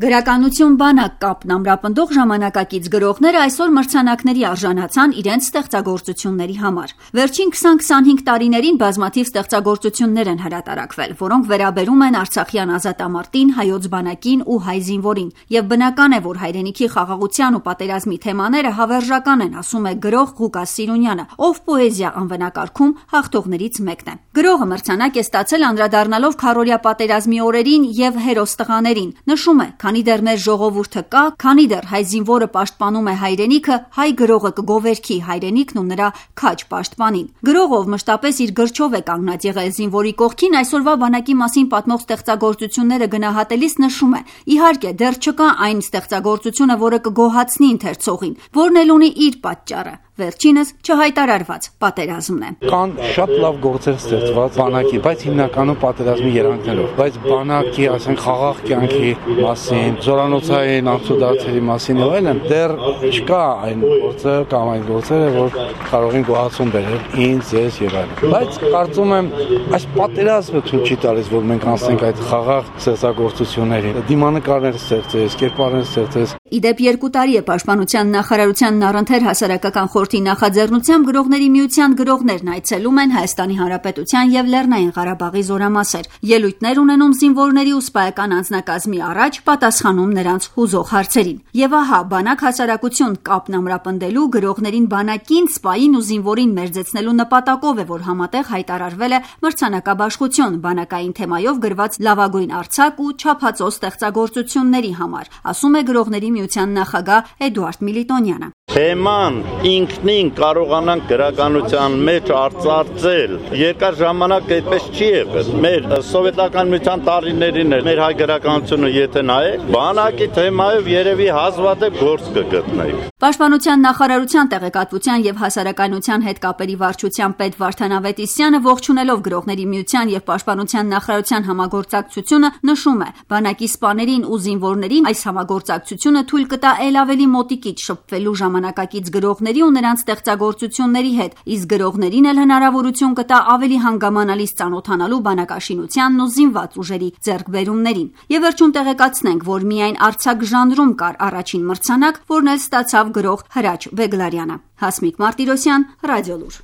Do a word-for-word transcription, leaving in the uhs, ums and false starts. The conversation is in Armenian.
Գրականություն բանակ կապն ամրապնդող ժամանակակից գրողները այսօր մրցանակների արժանացան իրենց ստեղծագործությունների համար։ Վերջին քսան-քսանհինգ տարիներին բազմաթիվ ստեղծագործություններ են հրատարակվել, որոնք վերաբերում են արցախյան ազատամարտին, հայոց բանակին ու հայ զինվորին, եւ բնական է, որ հայրենիքի խաղաղության ու պատերազմի թեմաները հավերժական են, ասում է գրող Ղուկաս Սիրունյանը, ով պոեզիա անվանակարգում հաղթողներից մեկն է։ Գրողը մրցանակ է ստացել անդրադառնալով քառօրյա պատերազմի օրերին եւ հերոս տղաներին, նշում է. Քանի դեռ մեր ժողովուրդը կա, քանի դեռ հայ զինվորը պաշտպանում է հայրենիքը, հայ գրողը կգովերքի հայրենիքն ու նրա քաջ պաշտպանին։ Գրողով մշտապես իր գրչով է կանգնած եղել զինվորի կողքին, այսօրվա բանակի մասին պատմող ստեղծագործությունները գնահատելիս նշում է. իհարկե, դեռ չկա այն ստեղծագործությունը, որը կգոհացնի ընթերցողին, որն էլ ունի իր պատճառը։ Վերջինս չհայտարարված պատերազմն է։ Կան շատ լավ գործեր ստեղծված բանակի, բայց հիմնականում պատերազմի երանգներով, բայց բանակի, ասենք, խաղաղ կյանքի մասին, զորանոցային անցուդարձերի մասին եւ այլն, դեռ չկա այն գործը կամ այն գործերը, որ կարող են գոհացում բերել ինձ, ես եւ այլն։ Բայց կարծում եմ, այս պատերազմը ցույց չի տալիս, որ մենք անցնենք այդ խաղաղ ստեղծագործություններին։ Դիմանկարներ ստեղծես, կերպարներ ստեղծես։ Իդեպ երկու տարի է Պաշտպանության նախարարության Նարընթեր հասարակական խորհրդի նախաձեռնությամբ գրողների միության գրողներն այցելում են Հայաստանի Հանրապետության եւ Լեռնային Ղարաբաղի զորամասեր, ելույթներ ունենում զինվորների ու սպայական անձնակազմի առաջ, պատասխանում նրանց հուզող հարցերին։ Եվ ահա, բանակ հասարակություն կապն ամրապնդելու, գրողներին բանակին, սպային ու զինվորին մերձեցնելու նպատակով է, որ համատեղ հայտարարվել է մրցանակաբաշխություն բանակային թեմայով գրված լավագույն արձակ ու չափածո ստեղծագործությունների համար, ասում է գրողների միության նախագահ Էդուարդ Միլիտոնյանը։ Թեման ինքնին կարողանանք գրականության մեջ արծարծել։ Երկար ժամանակ այդպես չի եղել։ Մեր սովետական միության տարիներին էր մեր հայ գրականությունը եթե նայեք, բանակի թեմայով երևի հազվադեպ գործ կգտնեիք։ Պաշտպանության նախարարության տեղեկատվության եւ հասարակայնության հետ կապերի վարչության պետ Վարդան Ավետիսյանը ողջունելով գրողների միության եւ Պաշտպանության նախարարության համագործակցությունը նշում է. բանակի սպաներին ու զինվորներին այս համագործակցությունը թույլ կտա ել ավելի մոտիկից շփվելու ժամանակակից գրողների ու նրանց ստեղծագործությունների հետ, իսկ գրողներին էլ հնարավորություն կտա ավելի հանգամանալից ծանոթանալու բանակաշինությանն ու զինված ուժերի ձեռքբերումներին։ Եվ վերջում տեղեկացնենք, որ միայն արձակ ժանրում կար առաջին մրցանակ, որն էլ ստացավ գրող Հրաչ Բեգլարյանը։ Հասմիկ Մարտիրոսյան, Ռադիոլուր։